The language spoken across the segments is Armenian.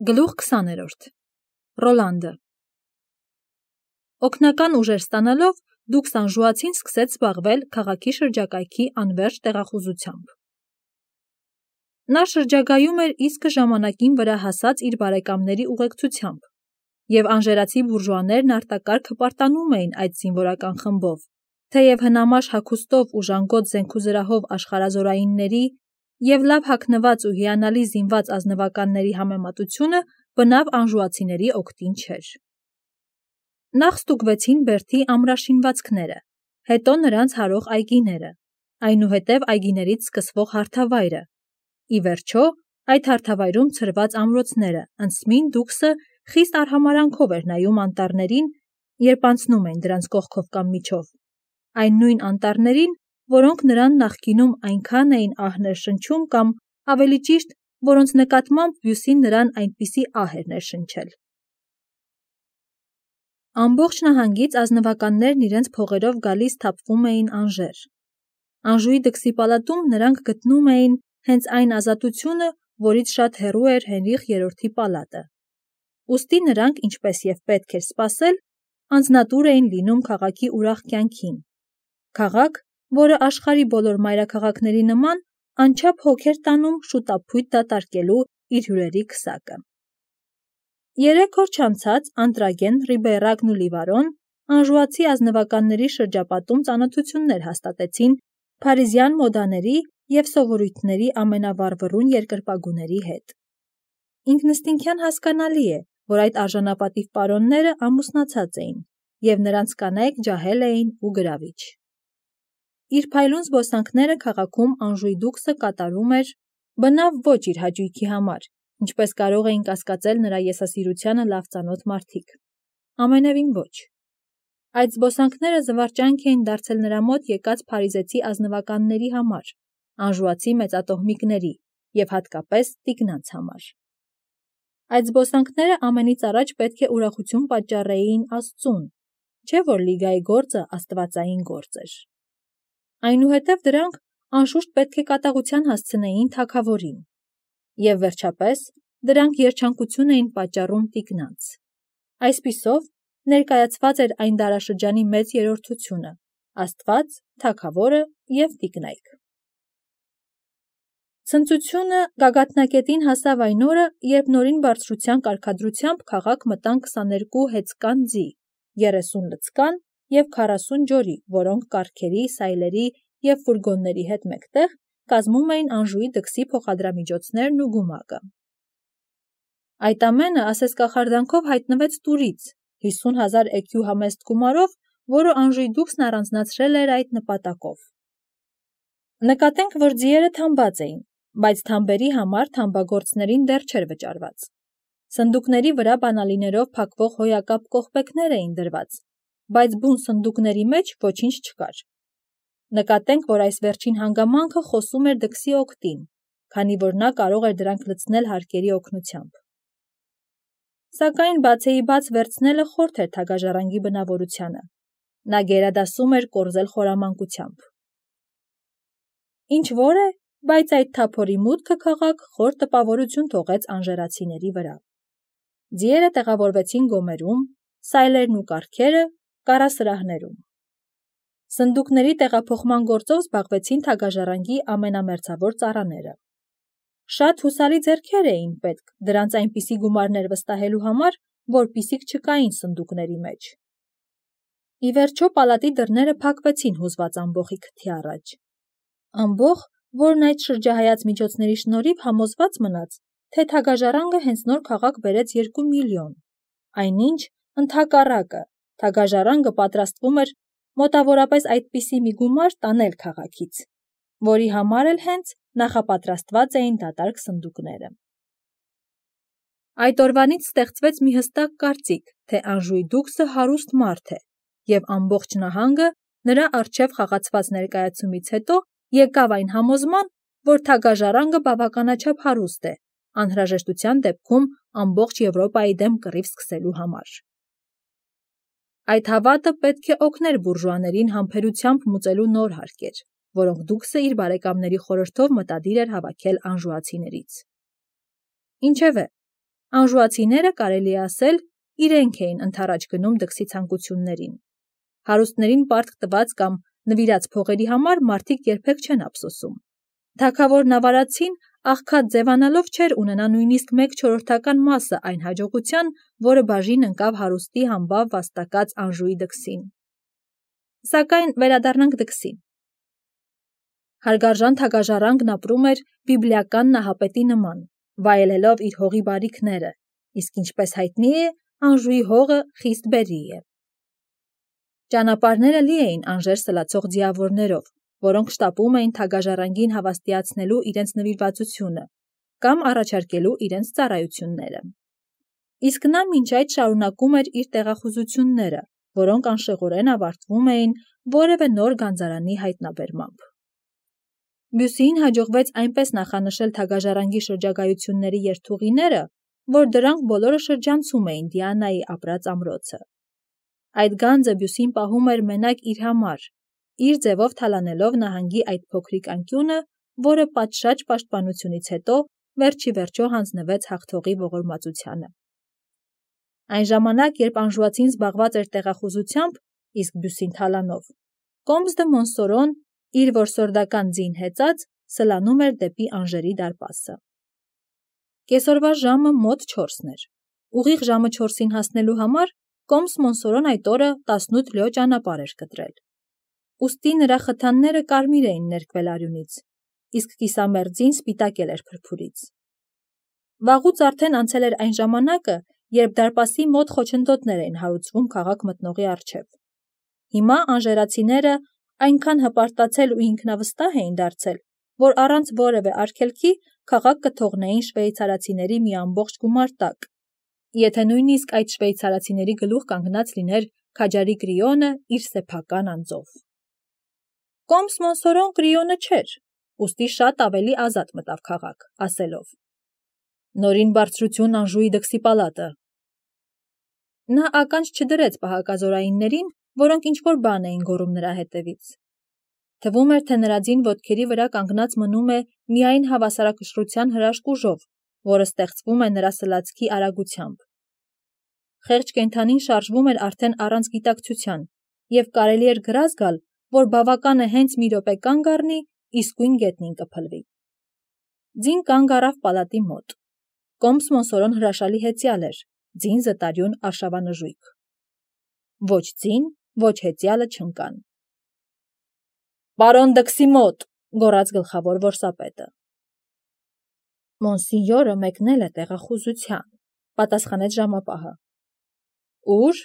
Գլուխ 20-րդ Ռոլանդը Օգնական ուժեր ստանալով դուքս անժուացին սկսեց զբաղվել քաղաքի շրջակայքի անվերջ տեղախուզությամբ։ Նա շրջագայում էր իսկը ժամանակին վրա հասած իր բարեկամների ուղեկցությամբ, և անժերացի բուրժուաներն արտակարգ հպարտանում էին այդ զինվորական խմբով, թեև հնամաշ հագուստով ու ժանգոտ զենքուզրահով աշխարհազորայինների և լավ հագնված ու հիանալի զինված ազնվականների համեմատությունը բնավ անժուացիների օգտին չէր։ Նախ ստուգվեցին բերդի ամրաշինվածքները, հետո նրանց հարող այգիները, այնուհետև այգիներից սկսվող հարթավայրը, ի վերջո այդ հարթավայրում ցրված ամրոցները, ընծմին դուքսը խիստ արհամարհանքով էր նայում անտառներին, երբ անցնում էին դրանց կողքով կամ միջով, այն նույն անտառներին, որոնք նրան նախկինում այնքան էին ահ ներշնչում կամ, ավելի ճիշտ, որոնց նկատմամբ բյուսին նրան այնպիսի ահ էր ներշնչել։ Ամբողջ նահանգից ազնվականներն իրենց փողերով գալիս թափվում էին Անժեր։ Անժուի դքսի պալատում նրանք գտնում էին հենց այն ազատությունը, որից շատ հեռու էր Հենրիխ III պալատը։ Ուստի նրանք, ինչպես և պետք էր սպասել, անձնատուր էին լինում քաղաքի ուրախ կյանքին։ Քաղաք, որը աշխարհի բոլոր մայրաքաղաքների նման անչափ հոգ էր տանում շուտափույթ դատարկելու իր հյուրերի քսակը։ 3 օր չանցած Անտրագեն, Ռիբեյրակն ու Լիվարոն անժուացի ազնվականների շրջապատում ծանոթություններ հաստատեցին փարիզյան մոդաների և սովորույթների ամենավառվռուն երկրպագուների հետ։ Ինքնըստինքյան հասկանալի է, որ այդ արժանապատիվ պարոնները ամուսնացած էին, և նրանց կանայք ջահել էին ու գրավիչ։ Իր փայլուն զբոսանքները քաղաքում Անժուի դուքսը կատարում էր բնավ ոչ իր հաճույքի համար, ինչպես կարող էին կասկածել նրա եսասիրությանը լավ ծանոթ մարդիկ։ Ամենևին ոչ։ Այդ զբոսանքները զվարճանք էին դարձել նրա մոտ եկած փարիզեցի ազնվականների համար, անժուացի մեծատոհմիկների և հատկապես տիկնանց համար։ Այդ զբոսանքները ամենից առաջ պետք է ուրախություն պատճառեին Աստծուն, չէ՞ որ Լիգայի գործը աստվածային գործ էր։ Այնուհետև դրանք անշուշտ պետք է կատաղության հասցնեին թագավորին։ Եվ վերջապես, դրանք երջանկություն էին պատճառում տիկնանց։ Այսպիսով, ներկայացված էր այն դարաշրջանի մեծ երրորդությունը՝ Աստված, թագավորը և տիկնայք։ Ցնծությունը գագաթնակետին հասավ այն օրը, երբ նորին բարձրության կարգադրությամբ քաղաք մտան 22 հեծկան ձի, 30 լցկան և 40 ջորի, որոնք կառքերի, սայլերի և ֆուրգոնների հետ մեկտեղ կազմում էին Անժուի դքսի փոխադրամիջոցներն ու գումակը։ Այդ ամենը ասես կախարդանքով հայտնվեց տուրից 50,000 էքյու համեստ գումարով, որը Անժուի դուքսն առանձնացրել էր այդ նպատակով։ Նկատենք, որ ձիերը թամբած էին, բայց թամբերի համար թամբագործներին դեռ չէր վճարված։ Սնդուկների վրա բանալիներով փակվող հոյակապ կողպեքներ էին դրված, բայց բուն սնդուկների մեջ ոչինչ չկար։ Նկատենք, որ այս վերջին հանգամանքը խոսում էր դքսի օգտին, քանի որ նա կարող էր դրանք լցնել հարկերի օգնությամբ։ Սակայն բացեիբաց վերցնելը խորթ էր թագաժառանգի բնավորությանը։ Նա գերադասում էր կորզել խորամանկությամբ։ Ինչ որ է, բայց այդ թափորի մուտքը քաղաք խոր տպավորություն թողեց անժերացիների վրա։ Ձիերը տեղավորվեցին գոմերում, սայլերն ու կառքերը՝ կառասրահներում։ Սնդուկների տեղափոխման գործով զբաղվեցին թագաժառանգի ամենամերձավոր ծառաները։ Շատ հուսալի ձեռքեր էին պետք դրանց այնպիսի գումարներ վստահելու համար, որպիսիք չկային սնդուկների մեջ։ Ի վերջո պալատի դռները փակվեցին հուզված ամբոխի քթի առաջ։ Ամբոխ, որն այդ շրջահայաց միջոցների շնորհիվ համոզված մնաց, թե թագաժառանգը հենց նոր քաղաք բերեց 2 միլիոն, այնինչ, ընդհակառակը, թագաժառանգը պատրաստվում էր մոտավորապես այդպիսի մի գումար տանել քաղաքից, որի համար էլ հենց նախապատրաստված էին դատարկ սնդուկները։ Այդ օրվանից ստեղծվեց մի հստակ կարծիք, թե Անժուի դուքսը հարուստ մարդ է, և ամբողջ նահանգը նրա առջև խաղացված ներկայացումից հետո եկավ այն համոզման, որ թագաժառանգը բավականաչափ հարուստ է, անհրաժեշտության դեպքում ամբողջ Եվրոպայի դեմ կռիվ սկսելու համար։ Այդ հավատը պետք է օգներ բուրժուաներին համբերությամբ մուծելու նոր հարկեր, որոնք դուքսը իր բարեկամների խորհրդով մտադիր էր հավաքել անժուացիներից։ Ինչևէ, Անժուացիները, կարելի է ասել, իրենք էին ընդառաջ գնում դքսի ցանկություններին։ Հարուստներին պարտք տված կամ նվիրած փողերի համար մարդիկ երբեք չեն ափսոսում։ Թագավորն ավարացին աղքատ ձևանալով չէր ունենա նույնիսկ 1/4 մասը այն հաջողության, որը բաժին ընկավ հարուստի համբավ վաստակած Անժուի դքսին։ Սակայն վերադառնանք դքսին։ Հարգարժան թագաժառանգն ապրում էր բիբլիական նահապետի նման, վայելելով իր հողի բարիքները, իսկ ինչպես հայտնի է, Անժուի հողը խիստ բերրի է։ Ճանապարհները լի էին Անժեր սլացող ձիավորներով, որոնք շտապում էին թագաժառանգին հավաստիացնելու իրենց նվիրվածությունը կամ առաջարկելու իրենց ծառայությունները։ Իսկ նա մինչ այդ շարունակում էր իր տեղախուզությունները, որոնք անշեղորեն ավարտվում էին որևէ նոր գանձարանի հայտնաբերմամբ։ Բյուսիին հաջողվեց այնպես նախանշել թագաժառանգի շրջագայությունների երթուղիները, որ դրանք բոլորը շրջանցում էին Դիանայի ապրած ամրոցը։ Այդ գանձը Բյուսին պահում էր մենակ իր համար, իր ձևով թալանելով նահանգի այդ փոքրիկ անկյունը, որը պատշաճ պաշտպանությունից հետո վերջիվերջո հանձնվեց հաղթողի ողորմածությանը։ Այն ժամանակ, երբ անժուացին զբաղված էր տեղախուզությամբ, իսկ Բյուսին թալանով, Կոմս դը Մոնսորոն, իր որսորդական ձին հեծած, սլանում էր դեպի Անժերի դարպասը։ Կեսօրվա ժամը մոտ 4-ն էր։ Ուղիղ ժամը 4-ին հասնելու համար Կոմս Մոնսորոն այդ օրը 18 լյո ճանապարհ էր կտրել։ Ուստի նրա խթանները կարմիր էին ներկվել արյունից, իսկ կիսամերձին սպիտակել էր փրփուրից։ Վաղուց արդեն անցել էր այն ժամանակը, երբ դարպասի մոտ խոչընդոտներ էին հարուցվում քաղաք մտնողի առջև։ Հիմա անժերացիները այնքան հպարտացել ու ինքնավստահ էին դարձել, որ առանց որևէ արգելքի քաղաք կթողնեին շվեյցարացիների մի ամբողջ գումարտակ, եթե նույնիսկ այդ շվեյցարացիների գլուխ կանգնած լիներ քաջարի Կրիոնը իր սեփական անձով։ Կոմս Մոնսորոն Կրիոնը չէր, ուստի շատ ավելի ազատ մտավ քաղաք, ասելով. «Նորին բարձրություն Անժուի դքսի պալատը»։ Նա ականջ չդրեց պահակազորայիններին, որոնք ինչ-որ բան էին գոռում նրա հետևից։ Թվում էր, թե նրա ձին ոտքերի վրա կանգնած մնում է միայն հավասարակշռության հրաշք ուժով, որը ստեղծվում է նրա սլացքի արագությամբ։ Խեղճ կենդանին շարժվում էր արդեն առանց գիտակցության, և կարելի էր գրազ գալ, որ բավական է հենց մի րոպե կանգ առնի, իսկույն գետնին կփլվի։ Ձին կանգ առավ պալատի մոտ։ Կոմս Մոնսորոն հրաշալի հեծյալ էր, ձին զտարյուն արշավանժույգ։ Ոչ ձին, ոչ հեծյալը չընկան։ «Պարոն դքսի մոտ», գոռաց գլխավոր որսապետը։ Մոնսինյորը մեկնել է տեղախուզության, պատասխանեց ժամապահը։ Ուր?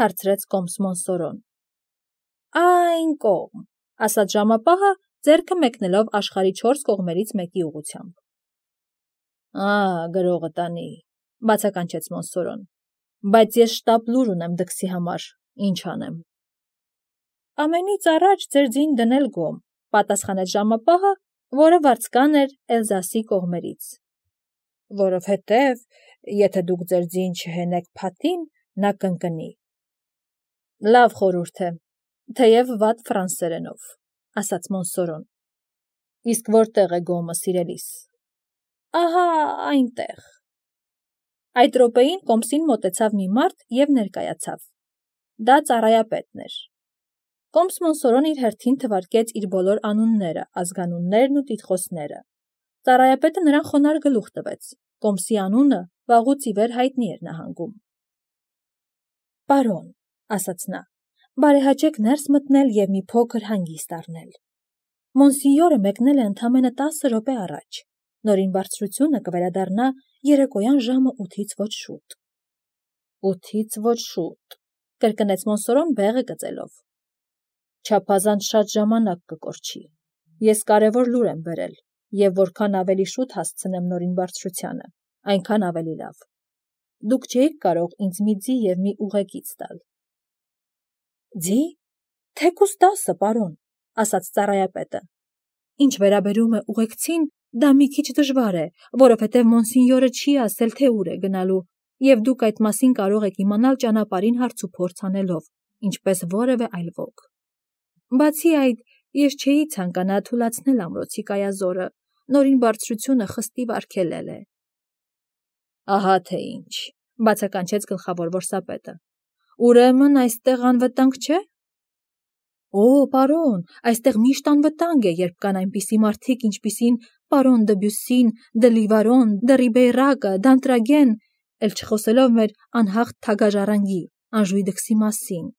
Հարցրեց Կոմս Մոնսորոն։ Այն կողմ, ասաց ժամապահը, ձեռքը մեկնելով աշխարհի 4 կողմերից մեկի ուղղությամբ։ Գրողը տանի, բացականչեց Մոնսորոն, բայց ես շտապ լուր ունեմ դքսի համար, ինչ անեմ։ Ամենից առաջ ձեր ձին դնել գոմ, պատասխանեց ժամապահը, որը վարձկան էր Էլզասի կողմերից։ Որովհետև, եթե դուք ձեր ձին չհենեք փաթին, նա կընկնի։ Լավ խորհուրդ է, թեև վատ ֆրանսերենով, ասաց Մոնսորոն։ Իսկ որտեղ է գոմը, սիրելիս։ Ահա այնտեղ։ Այդ րոպեին Կոմսին մոտեցավ մի մարդ և ներկայացավ։ Դա ծառայապետն էր։ Կոմս Մոնսորոն իր հերթին թվարկեց իր բոլոր անունները, ազգանուններն ու տիտղոսները։ Ծառայապետը նրան խոնարհ գլուխ տվեց։ Կոմսի անունը վաղուց ի վեր հայտնի էր նահանգում։ Պարոն, ասաց նա, բարեհաճեք ներս մտնել և մի փոքր հանգիստ առնել։ Մոնսինյորը մեկնել է ընդամենը 10 րոպե առաջ։ Նորին բարձրությունը կվերադառնա երեկոյան ժամը 8-ից ոչ շուտ։ 8-ից ոչ շուտ, կրկնեց Մոնսորոն բեղը գծելով։ Չափազանց շատ ժամանակ կկորչի։ Ես կարևոր լուր եմ բերել, և որքան ավելի շուտ հասցնեմ նորին բարձրությանը, այնքան ավելի լավ։ Դուք չէիք կարող ինձ մի ձի և մի ուղեկից տալ։ Ձի, թեկուզ 10, պարոն, ասաց ծառայապետը։ Ինչ վերաբերում է ուղեկցին, դա մի քիչ դժվար է, որովհետև Մոնսինյորը չի ասել, թե ուր է գնալու, և դուք այդ մասին կարող եք իմանալ ճանապարհին հարցուփորձ անելով, ինչպես որևէ այլ ոք։ Բացի այդ, ես չէի ցանկանա թուլացնել ամրոցի կայազորը, նորին բարձրությունը խստիվ արգելել է։ Ահա թե ինչ, բացականչեց գլխավոր որսապետը։ Ուրեմն այստեղ անվտանգ չէ։ Օ, պարոն, այստեղ միշտ անվտանգ է, երբ կան այնպիսի մարդիկ, ինչպիսին պարոն Դեբյուսին, Դելիվարոն, Դերիբեյրակը, Դանտրագեն, էլ չխոսելով մեր անհաղթ թագաժառանգի, Անժուի դքսի մասին։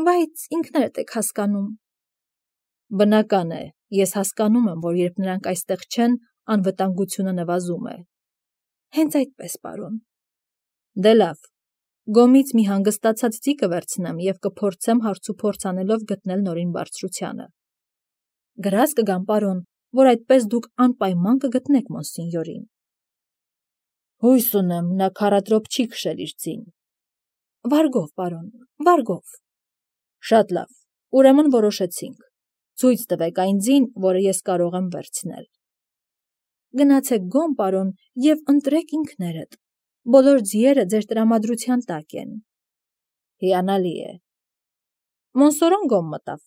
Բայց ինքներդ եք հասկանում։ Բնական է, ես հասկանում եմ, որ երբ նրանք այստեղ չեն, անվտանգությունը նվազում է։ Հենց այդպես, պարոն։ Դե լավ, գոմից մի հանգստացած ձի կվերցնեմ և կփորձեմ հարցուփորձ անելով գտնել նորին բարձրությանը։ Գրազ կգամ, պարոն, որ այդպես դուք անպայման կգտնեք մոնսինյորին։ Հույս ունեմ, նա քառատրոփ չի քշել իր ձին։ Վարգով, պարոն, վարգով։ Շատ լավ, ուրեմն որոշեցինք։ Ցույց տվեք այն ձին, որը ես կարող եմ վերցնել։ Գնացեք գոմ, պարոն, և ընտրեք ինքներդ։ Բոլոր ձիերը ձեր տրամադրության տակ են։ Հիանալի է։ Մոնսորոն գոմ մտավ։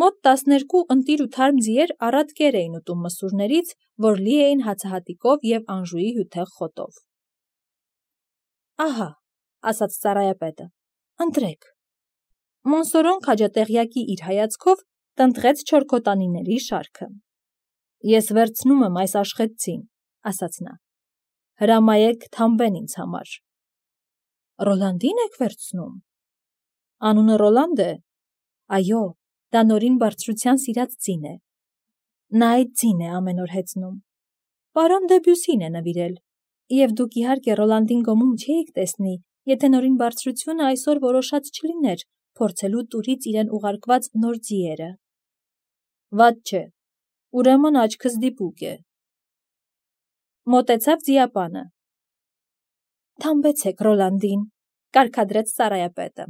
Մոտ 12 ընտիր ու թարմ ձիեր առատ կեր էին ուտում մսուրներից, որ լի էին հացահատիկով և Անժուի հյութեղ խոտով։ Ահա, ասաց ծառայապետը, ընտրեք։ Մոնսորոն քաջատեղյակի իր հայացքով տնտղեց չորքոտանիների շարքը։ Ես վերցնում եմ այս աշխեցցին, ասաց նա։ Հրամայեք թամբեն ինձ համար։ Ռոլանդին եք վերցնում։ Անունը Ռոլանդ է։ Այո, դա նորին բարձրության սիրած ձին է։ Նա այդ ձին է ամեն օր հեծնում։ Պարոն Դեբյուսին է նվիրել, և դուք իհարկե Ռոլանդին գոմում չէիք տեսնի, եթե նորին բարձրությունը այսօր որոշած չլիներ փորձելու տուրից իրեն ուղարկված նոր ձիերը։ Վատ չէ, ուրեմն աչքս դիպուկ է։ Մոտեցավ ձիապանը։ Թամբեցեք Ռոլանդին, կարգադրեց ծառայապետը։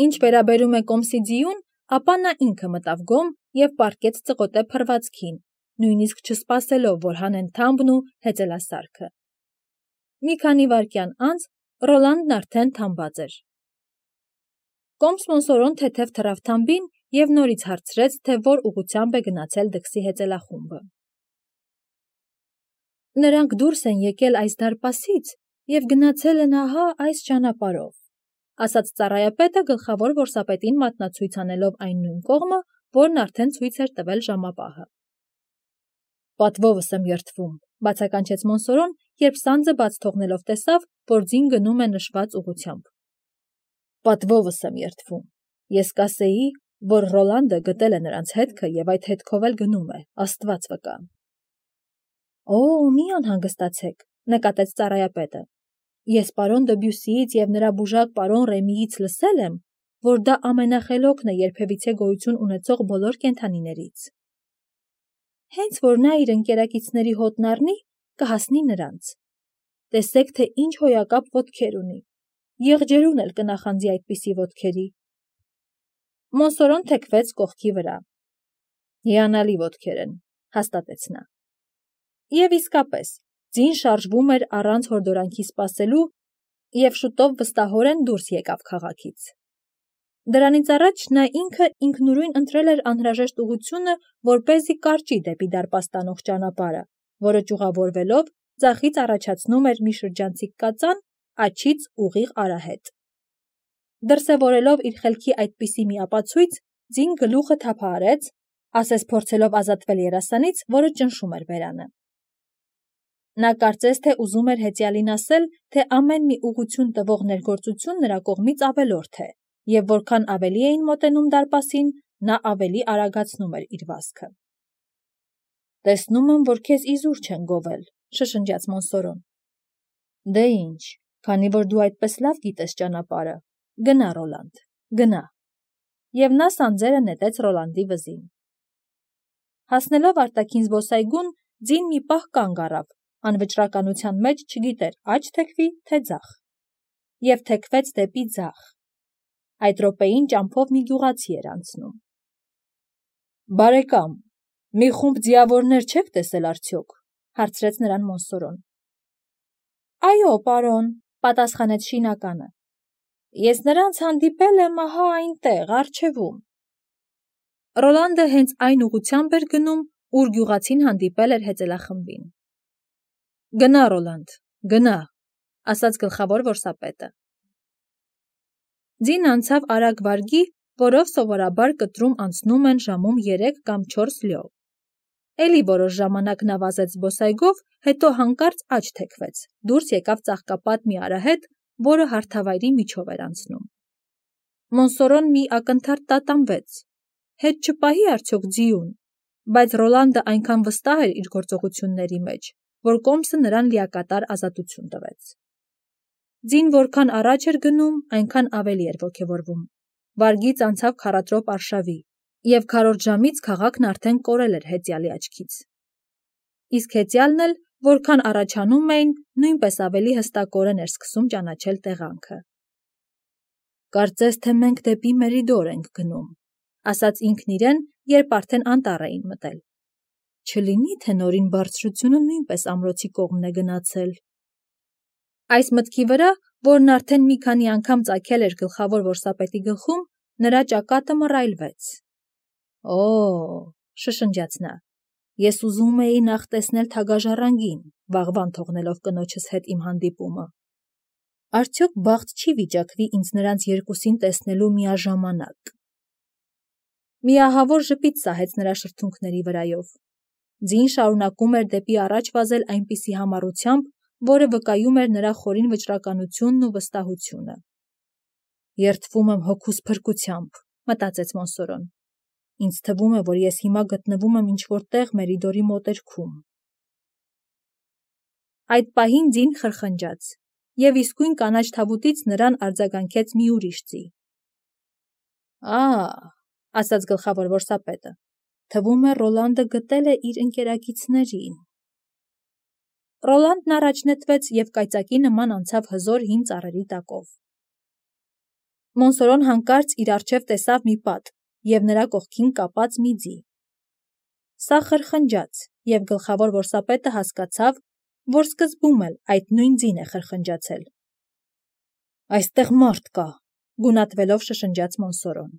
Ինչ վերաբերում է կոմսի ձիուն, ապա նա ինքը մտավ գոմ և պառկեց ծղոտե փռվածքին, նույնիսկ չսպասելով, որ հանեն թամբն ու հեծելասարքը։ Մի քանի վայրկյան անց Ռոլանդն արդեն թամբած էր։ Կոմս Մոնսորոն թեթև թռավ թամբին և նորից հարցրեց, թե որ ուղղությամբ է գնացել դքսի հեծելախումբը։ Նրանք դուրս են եկել այս դարպասից և գնացել են ահա այս ճանապարհով, ասաց ծառայապետը գլխավոր որսապետին մատնացույց անելով այն նույն կողմը, որն արդեն ցույց էր տվել ժամապահը։ Պատվովս եմ երդվում, բացականչեց Մոնսորոն, երբ սանձը բաց թողնելով տեսավ, որ ձին գնում է նշված ուղղությամբ։ Պատվովս եմ երդվում, ես կասեի, որ Ռոլանդը գտել է նրանց հետքը և այդ հետքով էլ գնում է, Աստված վկա։ Օ, մի անհանգստացեք, նկատեց ծառայապետը։ Ես պարոն Դեբյուսիից և նրա բուժակ պարոն Ռեմիից լսել եմ, որ դա ամենախելոքն է երբևիցե գոյություն ունեցող բոլոր կենդանիներից։ Հենց որ նա իր ընկերակիցների հոտն առնի, կհասնի նրանց։ Տեսեք, թե ինչ հոյակապ ոտքեր ունի։ Եղջերուն էլ կնախանձի այդպիսի ոտքերի։ Մոնսորոն թեքվեց կողքի վրա։ Հիանալի ոտքեր են, հաստատեց նա։ Եվ իսկապես, ձին շարժվում էր առանց հորդորանքի սպասելու և շուտով վստահորեն դուրս եկավ քաղաքից։ Դրանից առաջ նա ինքը ինքնուրույն ընտրել էր անհրաժեշտ ուղղությունը, որպեսզի կարճի դեպի դարպաս տանող ճանապարհը, որը ճյուղավորվելով ձախից առաջացնում էր մի շրջանցիկ կածան, աջից ուղիղ արահետ։ Դրսևորելով իր խելքի այդպիսի մի ապացույց, ձին գլուխը թափահարեց, ասես փորձելով ազատվել երասանից, որը ճնշում էր բերանը։ Նա կարծես թե ուզում էր հեծյալին ասել, թե ամեն մի ուղղություն տվող ներգործություն նրա կողմից ավելորդ է, և որքան ավելի էին մոտենում դարպասին, նա ավելի արագացնում էր իր վազքը։ Տեսնում եմ, որ քեզ իզուր չեն գովել, շշնջաց Մոնսորոն։ Դե ինչ, քանի որ դու այդպես լավ գիտես ճանապարհը, գնա Ռոլանդ, գնա։ Եվ նա սանձերը նետեց Ռոլանդի վզին։ Հասնելով արտաքին զբոսայգուն, ձին մի պահ կանգ առավ, անվճռականության մեջ չգիտեր աջ թեքվի, թե ձախ։ Եվ թեքվեց դեպի ձախ։ Այդ րոպեին ճամփով մի գյուղացի էր անցնում։ Բարեկամ, մի խումբ ձիավորներ չեք տեսել արդյոք, հարցրեց նրան Մոնսորոն։ Այո, պարոն, պատասխանեց շինականը։ Ես նրանց հանդիպել եմ ահա այնտեղ, առջևում։ Ռոլանդը հենց այն ուղղությամբ էր գնում, ուր գյուղացին հանդիպել էր հեծելախմբին։ Գնա, Ռոլանդ, գնա, ասաց գլխավոր որսապետը։ Ձին անցավ արագ վարգի, որով սովորաբար կտրում անցնում են ժամում 3 կամ 4 լյով։ Էլի որոշ ժամանակ նա վազեց զբոսայգով, հետո հանկարծ աջ թեքվեց, դուրս եկավ ծաղկապատ մի արահետ, որը հարթավայրի միջով էր անցնում։ Մոնսորոն մի ակնթարթ տատանվեց. հետ չպահի արդյոք ձիուն, բայց Ռոլանդը այնքան վստահ էր իր գործողությունների մեջ, որ կոմսը նրան լիակատար ազատություն տվեց։ Ձին որքան առաջ էր գնում, այնքան ավելի էր ոգևորվում։ Վարգից անցավ քառատրոպ արշավի, և քառորդ ժամից քաղաքն արդեն կորել էր հեծյալի աչքից։ Իսկ հեծյալն էլ, որքան առաջանում էին, նույնպես ավելի հստակորեն էր սկսում ճանաչել տեղանքը։ «Կարծես թե մենք դեպի Մերիդոր ենք գնում», ասաց ինքն իրեն, երբ արդեն անտառ էին մտել։ «Չլինի, թե նորին բարձրությունը նույնպես ամրոցի կողմն է գնացել»։ Այս մտքի վրա, որն արդեն մի քանի անգամ ծագել էր գլխավոր որսապետի գլխում, նրա ճակատը մռայլվեց։ «Օ՜», շշնջաց նա, «ես ուզում էի նախ տեսնել թագաժառանգին, վաղվան թողնելով կնոջս հետ իմ հանդիպումը։ Արդյոք բախտ չի վիճակվի ինձ նրանց երկուսին տեսնելու միաժամանակ»։ Մի ահավոր ժպիտ սահեց նրա շրթունքների վրայով։ Ձին շարունակում էր դեպի առաջ վազել այնպիսի համառությամբ, որը վկայում էր նրա խորին վճռականությունն ու վստահությունը։ «Երդվում եմ հոգուս փրկությամբ», մտածեց Մոնսորոն։ «Ինձ թվում է, որ ես հիմա գտնվում եմ ինչ-որ տեղ Մերիդորի մոտերքում»։ Այդ պահին ձին խրխնջաց, և իսկույն կանաչ թավուտից նրան արձագանքեց մի ուրիշ ձի։ «Ա՜», ասաց գլխավոր որսապետը, «թվում է Ռոլանդը գտել է իր ընկերակիցներին»։ Ռոլանդն առաջ նետվեց և կայծակի նման անցավ հզոր հին ծառերի տակով։ Մոնսորոն հանկարծ իր առջև տեսավ մի պատ և նրա կողքին կապած մի ձի։ Սա խրխնջաց, և գլխավոր որսապետը հասկացավ, որ սկզբում էլ այդ նույն ձին է խրխնջացել։ «Այստեղ մարդ կա», գունատվելով շշնջաց Մոնսորոն։